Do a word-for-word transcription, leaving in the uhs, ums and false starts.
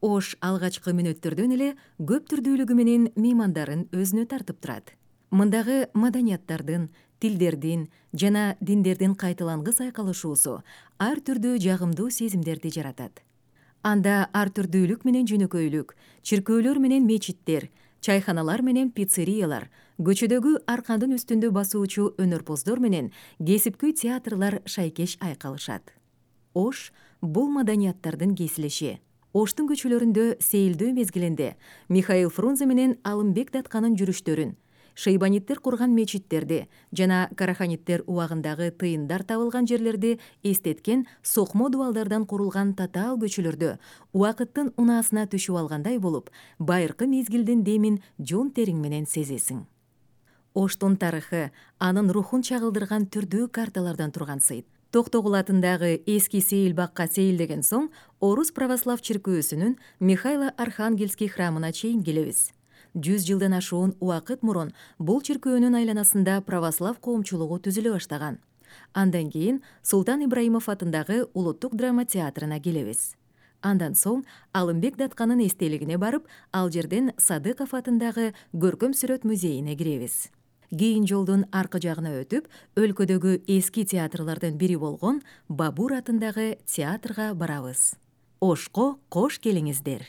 Ош алгачкы мүнөттөрдөн эле көп түрдүүлүгү менен меймандарын өзүнө тартып турат. Мындагы маданияттардын, тилдердин жана диндердин кайталангыс айкалышуусу ар түрдүү жагымдуу сезимдерди жаратат. Анда ар түрдүүлүк менен жөнөкөйлүк, чиркөөлөр менен мечиттер, чайханалар менен пиццериялар, көчөдөгү аркандын үстүндө басуучу өнөрпоздор менен кесипкөй театрлар шайкеш айкалышат. Ош бул маданияттардын кесилиши. Оштун көчөлөрүндө сейилдөө мезгилинде Михаил Фрунзе менен Алымбек Датканын жүрүштөрүн, шейбаниттер курган мечиттерди жана караханиттер убагындагы тыйындар табылган жерлерди эстеткен сокмо дубалдардан курулган татаал көчөлөрдө убакыттын унаасына түшүп алгандай болуп, байыркы мезгилдин демин жон териң менен сезесиң. Оштун тарыхы анын рухун чагылдырган түрдүү карталардан турган сыйт. Токтогул атындагы эски сейил бакка сейилдеген соң Орус православ чиркөөсүнүн Михайло Архангельский храмына чейин келебиз. Жүз жылдан ашуун убакыт мурун бул чиркөөнүн айланасында православ коомчулугу түзүлө баштаган. Андан кийин Султан Ибраимов атындагы улуттук драма театрына келебиз. Андан соң Алымбек Датканын эстелигине барып, ал жерден Садыков атындагы көркөм сүрөт музейине киребиз. Кийин жолдун аркы жагына өтүп, өлкөдөгү эски театрлардын бири болгон Бабур атындагы театрга барабыз. Ошко кош келиңиздер.